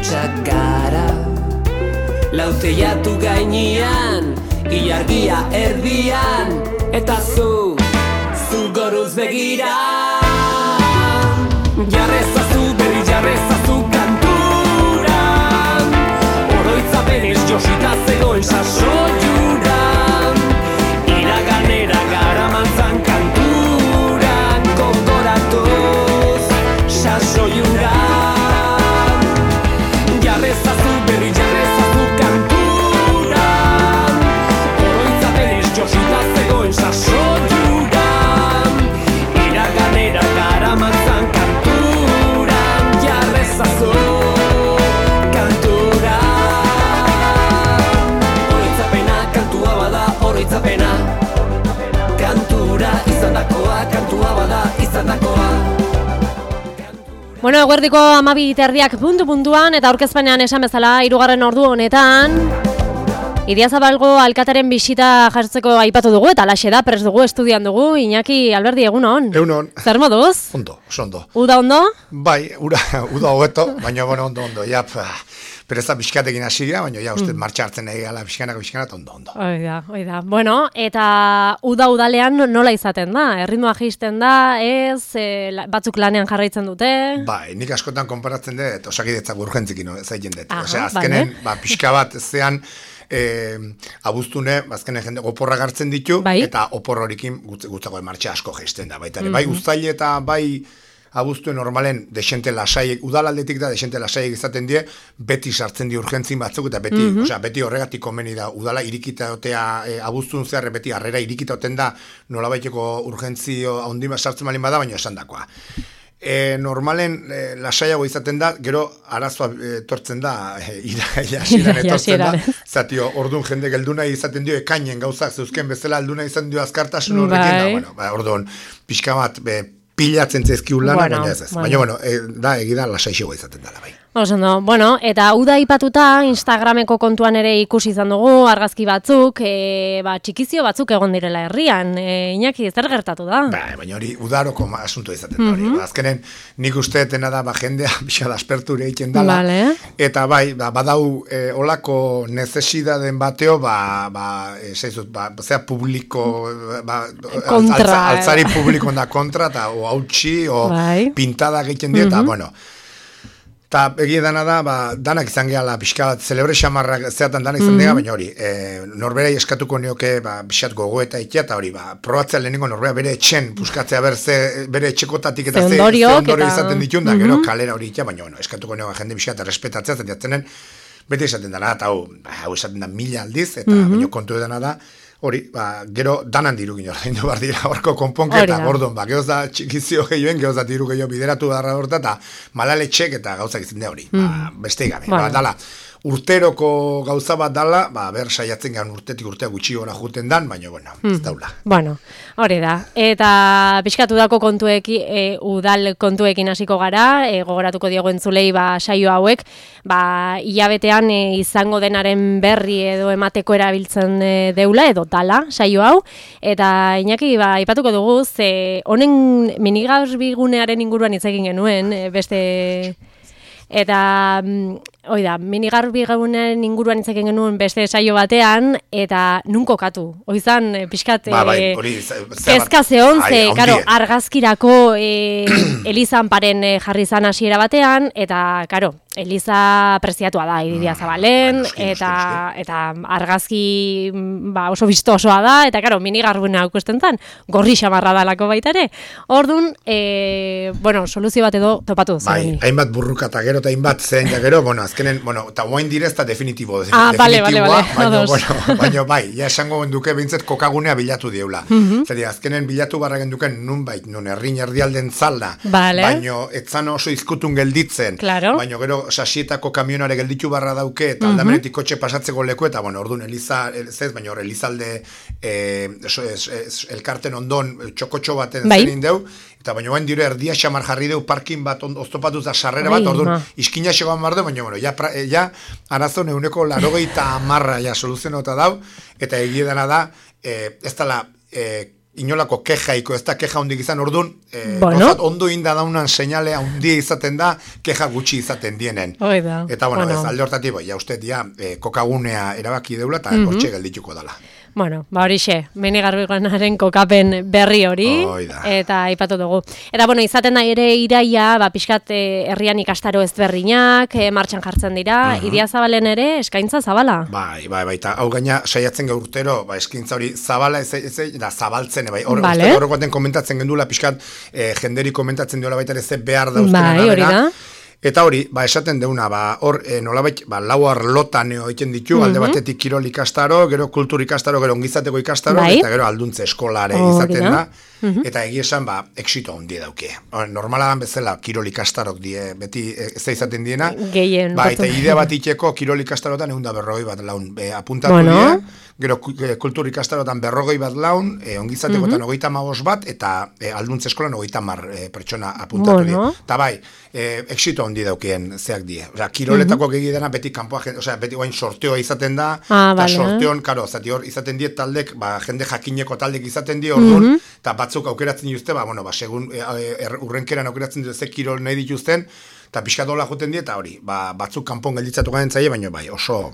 hutsak gara. Lauteiatu gainean, ilargia erdian, eta zu goruz begira. Jarrezazu, berri jarrezazu kantura, oroitzapenez josita zegoen sasoiura, iraganera garamantzan kanturan, kondoratuz sasoiura. Jarrezazu, berri jarrezazu kantura, oroitzapenez josita zegoen sasoiura, iraganera garamantzan kanturan, jarrezazu kantura. Oroitzapena kantua bada, oroitzapena kantura izandakoa, kantua bada izandakoa. Bueno, eguerdiko 12:30 puntu-puntuan eta aurkezpenean esan bezala 3. ordu honetan Idiazabalgo alkataren bisita jartzeko aipatu dugu eta alaxe da, prest dugu, estudian dugu. Iñaki, Alberdi, egunon? Egunon. Zer moduz? Ondo, oso ondo. Uda ondo? Bai, uda hobeto, baina bueno, ondo. Ja, pereza pixkatekin hasi dira, baina ja, uste martxa hartzen nahi gala pixkanaka, ondo. Oida. Bueno, eta udalean nola izaten da? Erritmoa jaisten da, ez? Batzuk lanean jarraitzen dute? Bai, nik askotan konparatzen dut, osakidetzak urgentzikin zaiten dut. Aha, azkenen, pixka bat zean, abuztune, bazkenen jende oporrak hartzen ditu, bai? Eta opor horikin gutzako martxa asko jaisten da, baita ere. Bai, uztaile eta bai abuztue normalen desente lasaiek, udalaldetik da desente lasaiek izaten die, beti sartzen di urgentzin batzuk, eta beti, beti horregatik komeni da, udala irikita otea, abuztun zehar, beti harrera irikita oten da, nolabaiteko urgentzio handi sartzen malin bada, baina esan dakoa. Normalen lasaiago izaten da, gero arazoa etortzen da, irasiran etortzen da, zatio, orduan jende gelduna izaten dio, ekainen gauzak zeuzken bezala, alduna izan dio azkartasun horrekin, da, orduan, pixka bat, pilatzen zezkiun lana, baina ez. Baina, da, egida lasaixoa izaten dela, bai. Osondo, bueno, eta uda ipatuta Instagrameko kontuan ere ikusi izan dugu, argazki batzuk, txikizio batzuk egon direla herrian. Iñaki, zer gertatu da? Baina hori, udaroko asunto izaten da hori. Azkenen, nik usteetena da, jendea pixka da asperture egiten dela. Vale. Eta bai, badau olako nezesidaden bateo, zea publiko, altzari publiko da kontra, eta o hautsi, o pintada egiten die, eta, bueno, eta egia dana da, danak izan gehala pixka bat, celebre xamarrak zeatan danak izan dira, baina hori, norberai eskatuko nioke, pixat gogoeta ikia, eta hori, probatzea lehenengo norbera bere etxen, puskatzea bere etxekotatik eta ze ondorio izaten ditun, da gero kalera hori ikia, baina eskatuko nioke jende pixat errespetatzea, zentiatzenen, bete izaten dana, eta hau esaten da 1000 aldiz, eta baina kontu edana da, hori, gero danan diru gino, ordaindu behar dira horko konponketa, gordon, gehoz da txikizio gehioen, gehoz da diru gehiago bideratu beharra horta, eta malaletxek eta gauzak izan da hori, beste gabe, dala, urteroko gauza bat dala, ber saiatzen gan urtetik urtea gutxi gora juten dan, baina, ez daula. Bueno, hori da, eta pixkatu dako kontuekin, udal kontuekin hasiko gara, gogoratuko diogu entzulei saio hauek, hilabetean izango denaren berri edo emateko erabiltzen deula, edo dala, saio hau, eta Iñaki, ipatuko dugu, honen minigarbigunearen inguruan hitz egin genuen, beste... Eta, oida, minigarbigunaren inguruan itzaken genuen beste saio batean, eta nun kokatu. Oizan, pixkat, kezka zehon, karo, argazkirako Elizanparen jarri zan hasiera batean, eta, karo, Eliza preziatua da, Idiazabalen, eta argazki oso bistosoa da, eta, karo, minigarbuna aukusten zan, gorri xamarra dalako baita ere. Orduan, soluzio bat edo topatu. Bai, hainbat burrukata gero eta hainbat zen, ja gero, azkenen, eta guain direz eta definitibo. Bale. Baina bai, ja esango genduke bintzet kokagunea bilatu dieula. Zeri, azkenen bilatu barra genduken nun herrin erdialden zalda, baina etzan oso izkutun gelditzen, baina gero sasietako kamionare gelditu barra dauke, eta aldamenetik kotxe pasatzeko leku, eta orduan Elizalde elkarten ondon txokotxo baten zenin deu, eta baina guain dire erdia xamar jarri deu parkin bat oztopatuz da sarrera bat, orduan iskina xegoan barde, baina ja arazo neuneko 80 soluzionota dau, eta egiedana da, ez dala inolako kejaiko, ez da keja hundik izan, orduan, ondo inda daunan seinale handia izaten da, keja gutxi izaten dienen. Oida. Eta, ez alde hortatik, ja uste, kokagunea erabaki deula, eta hortxe geldituko dala. Bueno, horixe, Menegarbiganaren kokapen berri hori, eta aipatu dugu. Eta, izaten da ere iraia, pixkat herrian ikastaro ezberdinak, martxan jartzen dira, Idiazabalen ere eskaintza zabala. Bai, eta hau gaina saiatzen gaur urtero, eskaintza hori zabala da zabaltzen, horrekoaten komentatzen gendula, pixkat jenderi komentatzen diola baita ere ze behar dauzken arabera. Eta hori, esaten deuna, hor nolabait, lau arlotan egiten ditu, alde batetik kirol ikastaro, gero kultur ikastaro, gero ongizateko ikastaro, eta gero alduntze eskolare izaten da, eta egia esan, exito handi dauke. Normalagan bezala, kirol ikastarok beti ez izaten diena, eta idea bat iteko kirol ikastarotan 140 bat laun apuntatu die, gero kultur ikastarotan 140 bat laun, ongizatekotan 35 bat, eta alduntze eskolan 30 pertsona apuntatu die. Eta exito handi daukeen zeak die. Kiroletako gegidana beti kanpoa, beti guain sorteoa izaten da, eta sorteon, karo, hor izaten die taldek, jende jakineko taldek izaten die, orduan, eta batzuk aukeratzen dituzte, segun urrenkeran aukeratzen dituzte kirol nahi dituzten, eta pixka dola joten die, eta hori, batzuk kanpon gelditzatu garen zaie, baina oso...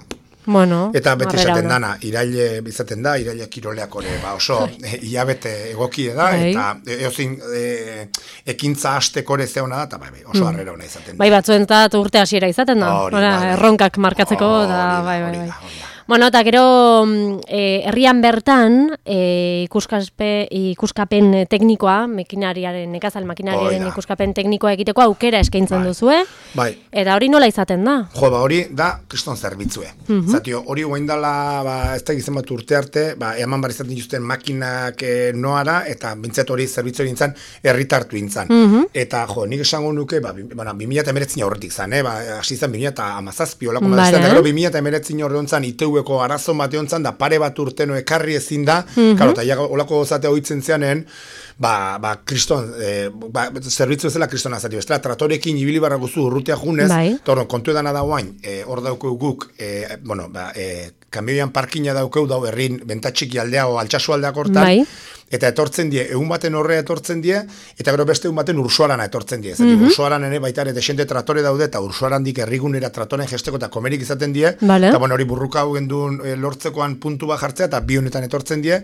eta beti izaten dana, iraile izaten da, iraile kiroleak hori, oso hilabete egokie da, eta eozin ekintza hastekore zeona da, eta oso harrera hona izaten da. Batzuentzat urte hasiera izaten da, erronkak markatzeko, da, eta gero herrian bertan ikuskapen teknikoa, nekazal makinariaren ikuskapen teknikoa egiteko aukera eskaintzen duzue, eta hori nola izaten da? Hori da kriston zerbitzue. Zatio, hori guain dala, ez da gizien bat urte arte, eman bar izaten dituzten makinak noara, eta bintzat hori zerbitzu hori intzan, herritartu intzan. Eta, nik esango nuke, 2019 horretik zan, hasi zan 2017, olako madazten, eta gero 2019 horretan ITV-ko arazo batean zan, da pare bat urteno ekarri ezin da, karo, eta olako gozatea hoitzen zeanen, kriston, zerbitzu ezela kristona zati, bestela, tratorekin ibili barra guzu urrutea junez, eta kontu edana da guain, hor daukeu guk, kamioian parkina daukeu dau herrin bentatxiki aldea o altsasu aldeak hortan, eta etortzen die, egun baten horrea etortzen die, eta gero beste egun baten ursuarana etortzen die. Ursuaran ere baita ere desente tratore daude, eta ursuarandik herrigunera tratoren gesteko eta komerik izaten die, eta hori burruka hau gendun lortzekoan puntu bat jartzea, eta bi honetan etortzen die,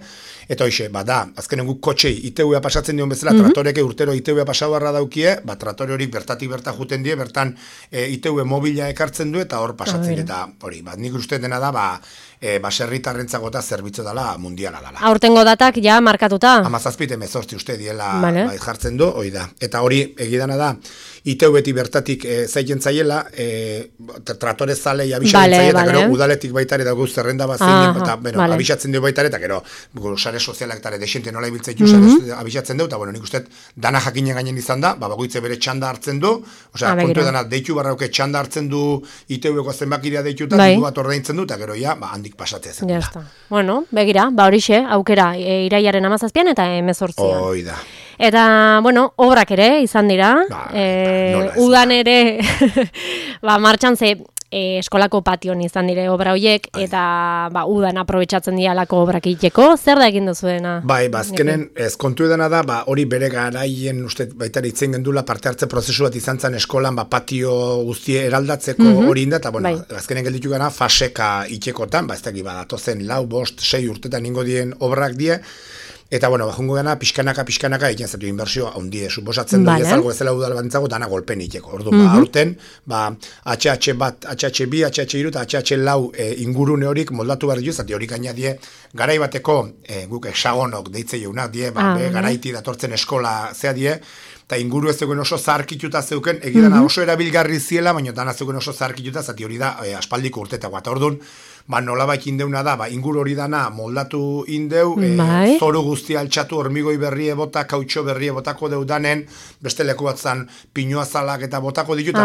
eta hoxe, azkenen guk kotxei ITV-a pasatzen dion bezala, tratoreke urtero ITV-a pasau barra daukie, tratore hori bertatik berta juten die, bertan ITV mobila ekartzen du, eta hor pasatzen, eta hori, nik uste dena da, baserritarrentzako eta zerbitzu dela mundiala dela. Aurtengo datak ja markatuta? 17 uste diela jartzen du, hori da. Eta hori egidana da, ITV-eti bertatik zaiten zaiela, tratore zalei abixatzen zaiela, eta gero udaletik baitare dago zerrenda bat zein, eta abixatzen du baitare, eta gero sare sozialak eta desente nola ibiltzaitu abixatzen du, eta nik uste dana jakinen gainen izan da, bagoitze bere txanda hartzen du, kontu edana deitu barrauke txanda hartzen du ITV-ko zenbakiria deitu, eta diru bat ordaintzen du, eta gero handik pasatzea zen. Bueno, begira, horixe, aukera, iraiaren 17 eta 18. Hoi da. Eta, obrak ere izan dira, udan ere, martxan ze eskolako pation izan dire obra horiek, eta udan aprobetxatzen dialako obrak egiteko, zer da egin duzuena? Azkenen, ez kontu edana da, hori bere garaien, uste baita itzen gendula parte hartze prozesu bat izan zen eskolan, patio guztie eraldatzeko hori inda, eta azkenen gelditu gana faseka itxekotan, ez dakit datozen 4, 5, 6 urtetan ingo dien obrak die, eta, jungo gana, pixkanaka egiten zatu inbertsioa ondie, suposatzen doi ezalgo ezela udal bantzago, dana golpen iteko. Orduan, aurten, HH bat, HH bi, HH iru eta HH lau ingurune horik moldatu behar dituz, zati horik gaina die, garai bateko, guk hexagonok deitze jeunak die, garaiti datortzen eskola zea die, eta inguru ez zeuken oso zarkituta zeuken, egidana oso erabilgarri ziela, baina dana zeuken oso zarkituta, zati hori da aspaldiko urtetako. Eta orduan, nolabait indeuna da, inguru hori dana moldatu indeu, zoru guzti altxatu, hormigoi berrie bota, kautxo berrie botako deudanen, beste leku bat zan pinuazalak eta botako ditu, eta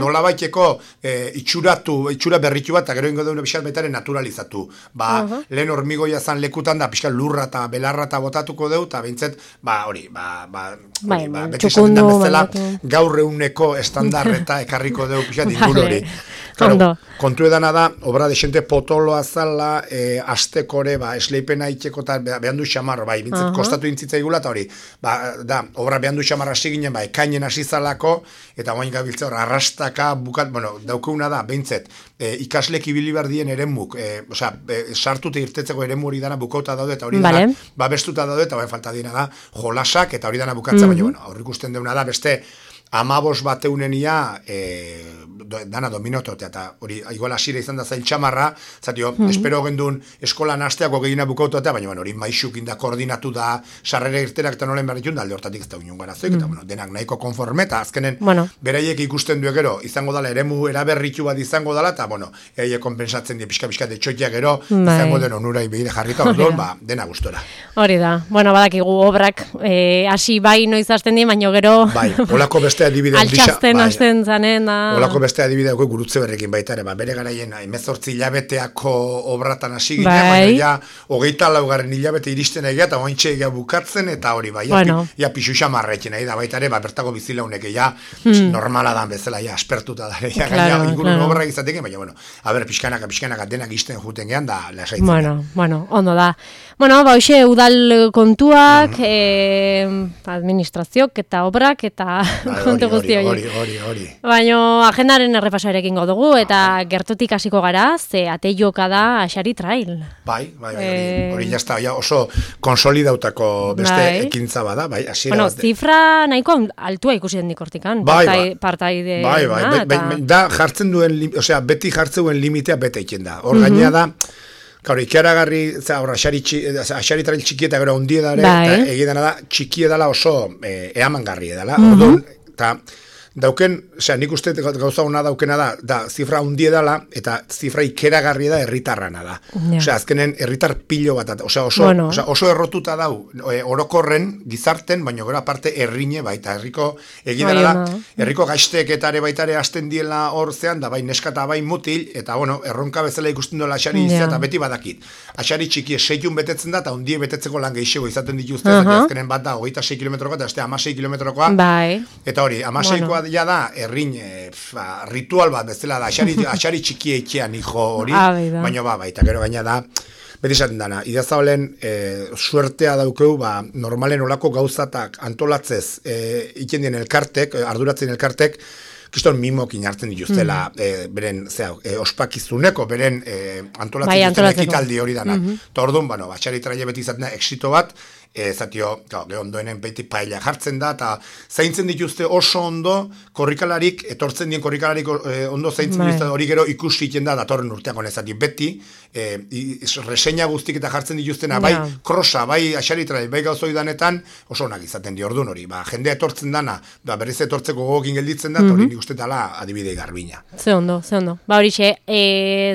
nolabaiteko itxura berritu bat, eta gero ingo deune pixat baitaren naturalizatu. Lehen hormigoia zan lekutan da, pixkat lurra eta belarra eta botatuko deu, eta bintzet, hori, beti esaten da bezala, gaur eguneko estandar eta ekarriko dugu pixat inguru hori. Claro, kontu edana da, obra desente potoloa zala, astekore, esleipena itxeko eta behan du xamarro, bintzat kostatu intzitza igula, eta hori, da, obra behan du xamarra hasi ginen, ekainen hasi zalako, eta guain gabiltza hor, arrastaka, bukat, bueno, daukuna da, behintzet, ikaslek ibili behar dien eremuk, sartute irtetzeko eremu hori dana bukauta daude, eta hori dana, babestuta daude, eta falta dina da, jolasak, eta hori dana bukatza, baina, bueno, hor ikusten deuna da, beste, 15 bateunenia dana dominototea, eta hori igual hasira izan da zail txamarra, zatio, espero gendun eskolan hasteako gehiena bukautotea, baina hori maixukin da, koordinatu da, sarrera irterak eta nolen berritun da, alde hortatik ez da union garazoik, eta denak nahiko konforme, eta azkenen beraiek ikusten du gero, izango dela, eremu eraberritu bat izango dela, eta bueno, eiek konpensatzen die pixka de txoitia gero, izango den onurai behire jarrita, dena gustora. Hori da, bueno, badakigu obrak hasi bai noiz hasten die, baina gero... Bai, olako beste adibide altxasten hasten zanen da... Olako beste adibide gurutze berrekin baita ere, bere garaien 18 hilabeteako obratan hasi ginen, baina ja 24 hilabete iristen egia, eta ointxe egia bukatzen, eta hori bai, ja pixu xamarrekin nahi da baita ere, bertako bizilaunek ja normala dan bezala, ja aspertuta da, ja gaina ingurun obra izatekin, baina bueno, pixkanaka denak izten juten gehan, da lasaitzen. Bueno, ondo da. Bueno, hoxe udal kontuak, administraziok eta obrak, eta kontu guzti hori. Baina agendaren errepasarekin dugu, eta gertutik hasiko gara, ze ateioka da Axari Trail. Bai, hori jazta, oso konsolidautako beste ekintza bada, bai, hasiera. Bueno, zifra nahiko altua ikusi den dikortikan, partaide. Bai, da jartzen duen, osea, beti jartzen limitea bete iken da. Hor gainea da, gaur, ikaragarri, Axari Trail txiki eta gero hundie dara, eta egidana da, txiki edala oso eamangarri edala, orduan, eta dauken, osea, nik uste gauza hona daukena da zifra hundie dala, eta zifra ikeragarri da herritarrana da. Osea, azkenen herritar pilo bat, oso errotuta dau, orokorren, gizarten, baina gero aparte herrine baita, egidana da, herriko gaizteketare baitare hasten diela hor zean, da bai neskata bai mutil, eta bueno, erronka bezala ikusten dola Axari izia, eta beti badakit. Axari txiki 6 betetzen da, eta hundie betetzeko lan gehiago izaten dituzte, azkenen bat da, 26 kilometrokoa, eta 16 kilometrokoa, eta hori, 16koa ja da, errin ritual bat bezala da, Axari txiki eitxean hijo hori, baina baita, gero gaina da, beti esaten dana, idazabalen suertea daukeu, normalen olako gauzatak antolatzez ikendien elkartek, arduratzen elkartek, kiston mimokin hartzen dituztela beren, ospakizuneko, beren antolatzen dituzten ekitaldi hori dana. Eta orduan, Axari Trail beti izaten da, exito bat, zatio, ondoenen beti paella jartzen da, eta zaintzen dituzte oso ondo, korrikalarik, etortzen dien korrikalarik ondo zaintzen dituzte, hori gero ikusi iten da, datorren urteako nezati, beti, reseña guztik eta jartzen dituztena, bai krosa, bai Axari Trail, bai gauzoi danetan, oso onak izaten di orduan hori, jendea etortzen dana, berriz etortzeko gogokin gelditzen da, hori nik uste dala adibidei garbina. Ze ondo. Horixe,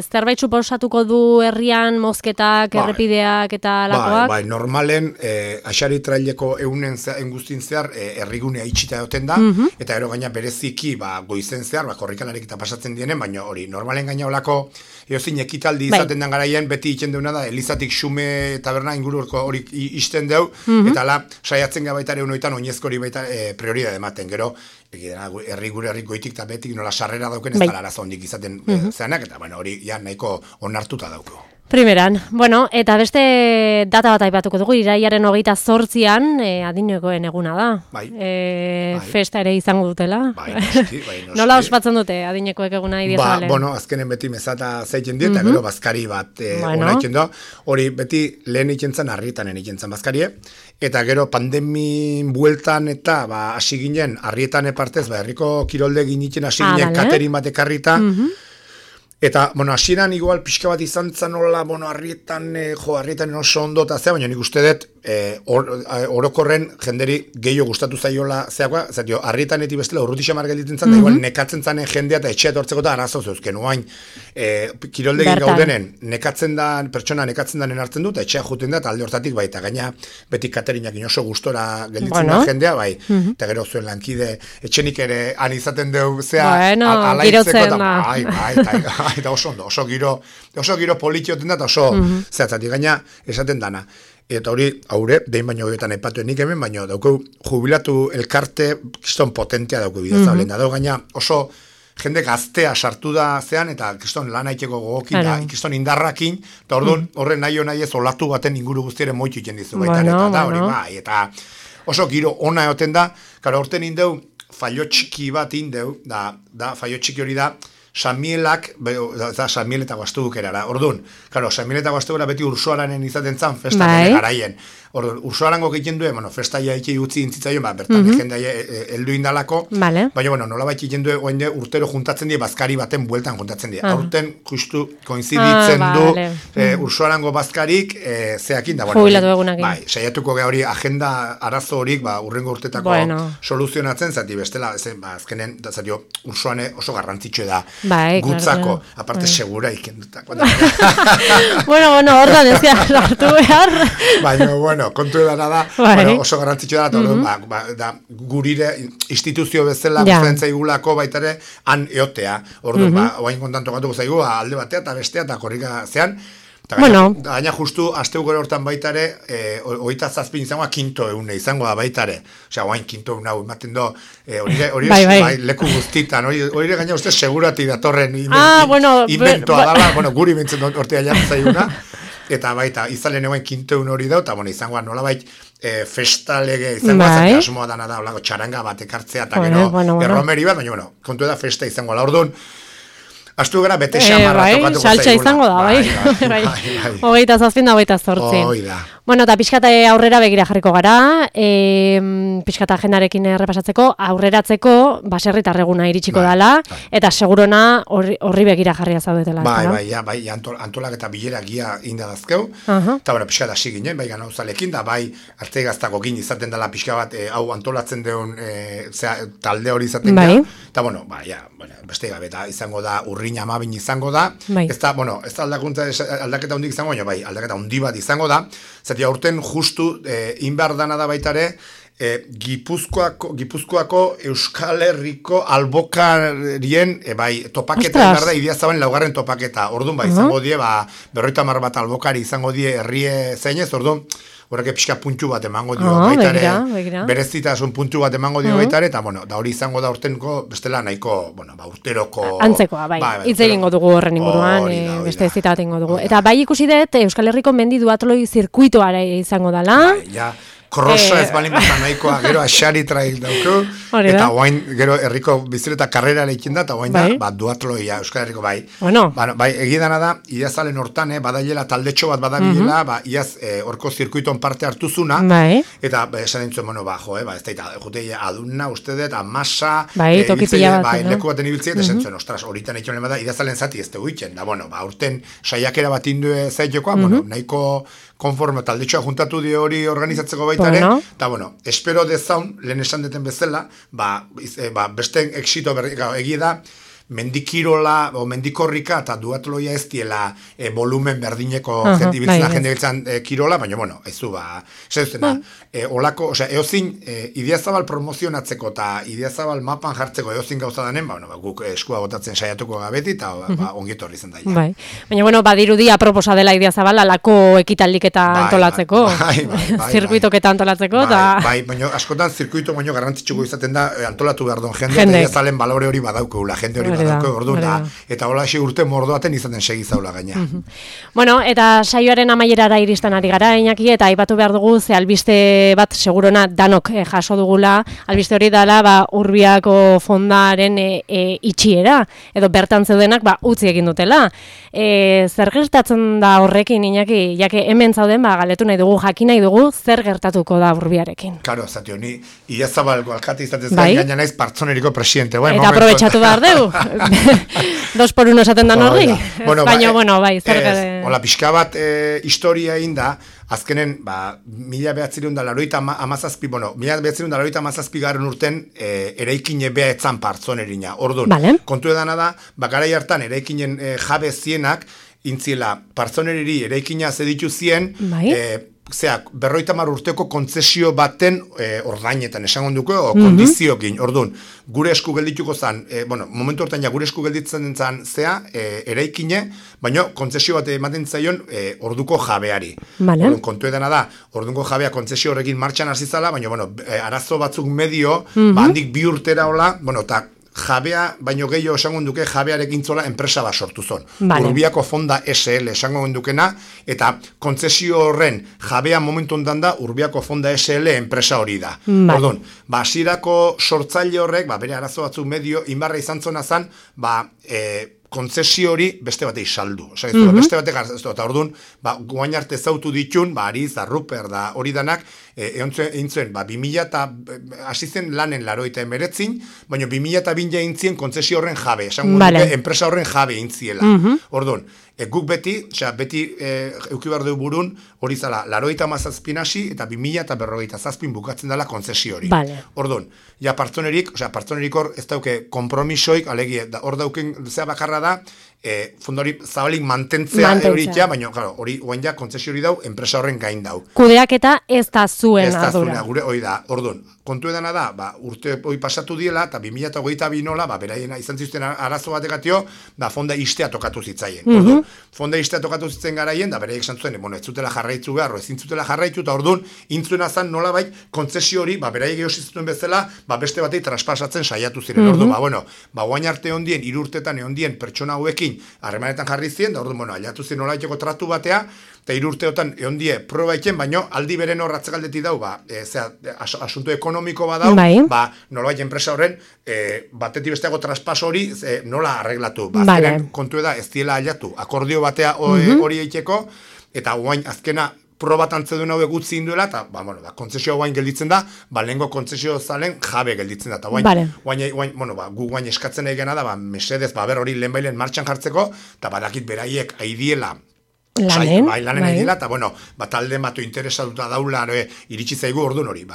zerbait suposatuko du herrian mozketak, errepideak eta lakoak? Bai, normalen, Axari Traileko eunen guztin zehar errigunea itxita egoten da, eta ero gaina bereziki goizen zehar, korrikalarik eta pasatzen dienen, baina hori, normalen gaina olako, eozin ekitaldi izaten den garaien, beti itxen deuna da, Elizatik Xume taberna ingururko hori isten deu, eta ala, saiatzen gabaitare unoitan, oinezko hori baita prioridade ematen, gero, herri goitik eta betik nola sarrera dauken, ez dara arazo hondik izaten zeanak, eta hori nahiko onartuta dauko. Primeran, bueno, eta beste data bat aipatuko dugu, iraiaren 28an, adinekoen eguna da. Festa ere izango dutela. Noski. Nola ospatzen dute adinekoek eguna idiazabale? Azkenen beti mesata zaiten dieta, gero bazkari bat ona iken da. Hori beti lehen ikentzan, Arrietanen ikentzan bazkarie, eta gero pandemin bueltan eta hasi ginen, Arrietan partez, herriko kirolde ginitzen hasi ginen katerin bat ekarrita, eta, hasieran igual pixka bat izan zan hola, Arrietan oso ondo eta zea, baina nik uste dut orokorren jenderi gehiago gustatu zaiola zeakoa, zatio, Arrietaneti bestela urruti xamar gelditzen zan, igual nekatzen zanen jendea eta etxea etortzeko eta arazo zeuzken, oain, kiroldegin gaudenen, pertsona nekatzen danen hartzen dut, etxea juten da, eta alde hortatik baita, gaina beti katerinak oso gustora gelditzen da jendea, bai, eta gero zuen lankide, etxenik ere han izaten deu, zea, alaitzeko, eta oso ondo, oso giro politioten da, eta oso zehatzatik, gaina esaten dana. eta hori, haure, dein baino hogetan aipatu nik hemen, baino dauko jubilatu elkarte kiston potentea dauko bidezablen, da gaina oso jende gaztea sartu da zean, eta kiston lan haiteko gogokin, da kiston indarrakin, eta horren nahi ez olatu baten inguru guztiaren moitu iten dizu baita, eta da hori bai, eta oso giro ona egoten da, karo horten indeu, fallo txiki bat indeu, da fallo txiki hori da, San Mielak, San Miel eta Guastuduk erara, orduan, karo, San Miel eta Guastuduk beti Ursuaranen izaten zan, festa garaien. Orduan, Ursuarango egiten duen, festaia eki utzi intzitzaion, bertan jendea heldu indalako, baina, nola baita egiten duen, urtero juntatzen die, bazkari baten bueltan juntatzen die. Aurten, justu, koinziditzen du Ursuarango bazkarik, zeakin da, jubilatu egunakin. Bai, saiatuko hori agenda arazo horik, urrengo urtetako soluzionatzen, zati bestela, azkenen, zati Ursuane oso garrantzitsue da, gutzako, aparte segura ikendutako. Bueno, hortan ezia hartu behar. Baina, kontu edana da, oso garrantzitsua da, gurire instituzio bezala gustatzen zaigulako baitare han eotea. Orduan, oain kontanto gatuko zaigu, alde batea eta bestea eta korrika zean. Gaina justu, asteu gore hortan baitare, oita zazpin izangoa kinto eune izango da baitare. Osea, oain kinto eune hau ematen do, hori leku guztitan, hori gaina uste segurati datorren inventoa dala, guri bintzen hortea jartzen zaiguna. Eta baita, izalen egoen kinto egun hori da, eta izangoa nolabait festalege izangoa, zati asmoa dana da, olako txaranga bat ekartzea, eta gero erromeri bat, baina kontu da festa izangoa. Ordun astu gara bete xamarra tokatuko zaigula. Saltxa izango da, bai. 27 da 28. Hoi da. Bueno, eta pixkata aurrera begira jarriko gara, pixkata agendarekin errepasatzeko, aurreratzeko baserritar eguna iritsiko dela, eta segurona horri begira jarria zaudetela. Bai, antolak eta bilera gia indadazkeu, eta pixkata hasi ginen, bai gana uzalekin, da bai arte gaztako gin izaten dela pixka bat, hau antolatzen deun talde hori izaten gara, eta beste gabe, izango da, urrin amabin izango da, ez da aldaketa hundik izango, bai, aldaketa hundi bat izango da, zati aurten justu inbar dana da baitare Gipuzkoako Euskal Herriko albokarien topaketa inbar da Idiazaben laugarren topaketa. Orduan izango die, 50 bat albokari izango die herrie zeinez, orduan horrek pixka puntu bat emango dio baitare, berezitasun puntu bat emango dio baitare, eta da hori izango da urtenko bestela nahiko, urteroko... Antzekoa, hitz egingo dugu horren inguruan, beste zita bat egingo dugu. Eta bai ikusi dut, Euskal Herriko mendi duatloi zirkuitoa izango dela. Krosa ez balin bat nahikoa, gero asari trail dauko, eta oain, gero herriko bizileta karrera leikin da, eta oain da, duatloia, Euskal Herriko bai. Bai, egidana da, iazalen hortan, badaiela taldetxo bat badabilela, iaz horko zirkuiton parte hartuzuna, eta esan dintzuen, ez da, jute aduna, ustedet, amasa, leku baten ibiltzea, eta esan zuen, ostras, horitan egin bada, iazalen zati ez dugu itzen, da, urten saiakera bat indue zaitekoa, nahiko konforme taldetxoa juntatu di hori organizatzeko baitare, eta espero dezaun, lehen esan deten bezala, beste exito egia da, mendikirola o mendikorrika eta duatloia ez diela volumen berdineko jende biltzen kirola, baina, haizu, olako, eozin Idiazabal promozionatzeko eta Idiazabal mapan jartzeko eozin gauza danen, guk eskua botatzen saiatuko gabeti eta ongito horri zen daia. Baina, badirudi aproposa dela Idiazabal alako ekitaldik eta antolatzeko, zirkuitok eta antolatzeko. Baina, askotan zirkuito baino garrantzitsuko izaten da antolatu behar don jende, Idiazalen balore hori badaukula, jende hori eta hola urte mordoaten izaten segizaula gaina. Bueno, eta saioaren amaierara iristen ari gara, Iñaki, eta aipatu behar dugu, ze albiste bat segurona danok jaso dugula, albiste hori dela Urbiako fondaren itxiera, edo bertan zeudenak utzi egin dutela. Zer gertatzen da horrekin, Iñaki, jake hemen zauden, galetu nahi dugu, jakin nahi dugu, zer gertatuko da Urbiarekin? Karo, zati honi, Idiazabalko alkate izatez gaina naiz partzoneriko presidente. Eta aprobetxatu behar dugu. 2x1 esaten dan horri? Baina, zer gara... Hola, pixka bat historia egin da, azkenen, 1987 garen urten eraikin ebea etzan partzon erina. Orduan, kontu edana da, garai hartan eraikinen jabe zienak, intziela, partzoneriri eraikina zeditu zien, zeak, 50 urteko kontzesio baten ordainetan esango duko, o kondiziokin, orduan, gure esku geldituko zan, momentu hortan ja gure esku gelditzen zan zea, eraikine, baina kontzesio bat ematen zaion orduko jabeari. Orduan, kontu edana da, orduko jabea kontzesio horrekin martxan hasi zala, baina, arazo batzuk medio, handik 2 urtera hola, eta jabea, baino gehiago esango duke jabearekin zola enpresa bat sortu zon. Urbiako Fonda SL esango dukena, eta kontzesio horren jabea momentu ondan da Urbiako Fonda SL enpresa hori da. Orduan, hasierako sortzaile horrek, bere arazo batzuk medio, inbarra izan zona zan, kontzesio hori beste batei saldu. Beste batek hartu, eta orduan, guain arte zautu ditun, Ariz, Ruper, da hori danak, egin zuen, 2000 eta hasi zen lanen 89, baina 2002 egin zien kontzesio horren jabe, esan duke, enpresa horren jabe egin ziela. Orduan, guk beti euki behar du burun, hori zala, 97 hasi eta 2047 bukatzen dela kontzesio hori. Orduan, ja partzonerik hor ez dauke kompromisoik, alegi, hor dauken zea bakarra da, fondo hori zabalik mantentzea euritzea, baina hori oain ja kontzesio hori dau, enpresa horren gain dau. Kudeaketa ez da zuen ardura. Ez da zuen, gure hori da, orduan, kontu edana da, urte hori pasatu diela, eta 2022 nola, beraien izan zizten arazo batekatio, fonda istea tokatu zitzaien. Orduan, fonda istea tokatu zitzen garaien, da beraiek santzuen, ez zutela jarraitzu behar, ezin zutela jarraitu, eta orduan, intzuena zan nola bai, kontzesio hori, beraiek eosiztuen bezala, beste batei traspasatzen saiatu ziren. Orduan, guain arte ondien, 3 urtetan ondien pertsona hauekin harremanetan jarri ziren, da orduan, aliatu ziren nola iteko tratu batea, eta 3 urteotan ondie proba iken, baino aldi beren hor ratzegaldeti dau, asunto ekonomiko badau, nolabait enpresa horren, batetik besteago traspaso hori nola arreglatu. Azkenen kontu da, ez diela aliatu, akordio batea hori eiteko, eta guain azkena probatan zedun hau egutzi induela, eta kontzesio guain gelditzen da, lehenko kontzesio zalen jabe gelditzen da, eta gu guain eskatzen egena da, mesedez, hori lehenbailen martxan jartzeko, eta badakit beraiek aidiela, lanen egila, eta talde batu interesatuta daula iritsi zaigu orduan hori.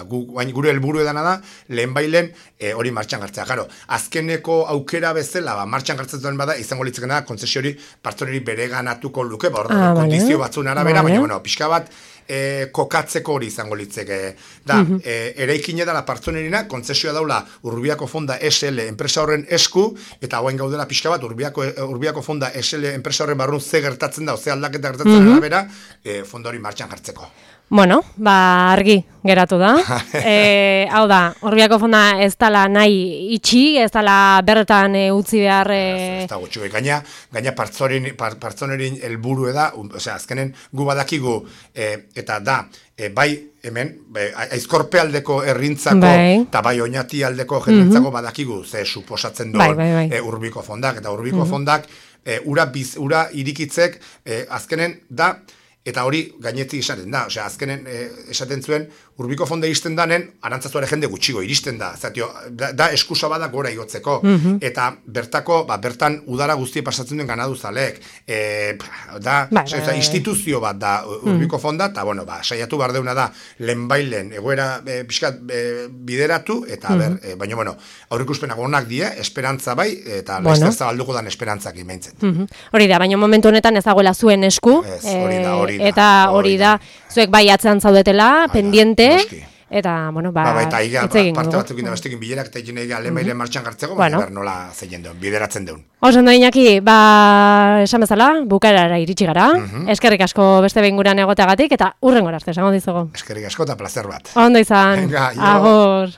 Gure helburu edana da, lehenbailen hori martxan jartzea. Azkeneko aukera bezala, martxan jartzen bada, izango litzeken da, kontzesio hori partzoneri bere ganatuko luke, kondizio batzun arabera, baina pixka bat, kokatzeko hori izango litzeke. Eraikine dela partzonerina, kontzesioa daula Urbiako Fonda SL enpresa horren esku, eta hauen gaudela pixka bat, Urbiako Fonda SL enpresa horren barrun ze gertatzen da, ze aldaketa gertatzen arabera, fonda hori martxan jartzeko. Argi geratu da. Hau da, Urbiako Fonda ez dala nahi itxi, ez dala bertan utzi behar... Ez da gutxu, gaina partzonerin helburu da, azkenen gu badakigu, eta da, bai hemen, aizkorpe aldeko errintzako, eta bai oinati aldeko jendentzako badakigu, ze suposatzen duen Urbiko Fondak, eta Urbiko Fondak, ura irikitzek, azkenen da, eta hori gainetik esaten da, azkenen esaten zuen, Urbiko Fonda iristen danen, arantzazuare jende gutxigo iristen da, da eskusa bada gora igotzeko, eta bertan udara guztie pasatzen duen ganadu zalek, instituzio bat da Urbiko Fonda, eta saiatu behar deuna da, lehenbailen egoera pixkat bideratu, eta baina, aurrikuspenak onak die, esperantza bai, eta laizter zabalduko dan esperantzak imaintzen. Hori da, baina momentu honetan ez dagoela zuen esku, eta hori da, zuek bai atzean zaudetela, pendiente, eta, eta parte batzuk indabestekin bilerak eta egin egin alemailen martxan gartzeko, nola zeien duen, bideratzen duen. Oso ondo Iñaki, esan bezala, bukaerara iritsi gara, eskerrik asko beste behinguran egoteagatik, eta hurrengora arte, esango dizugu. Eskerrik asko eta placer bat. Ondo izan, agor.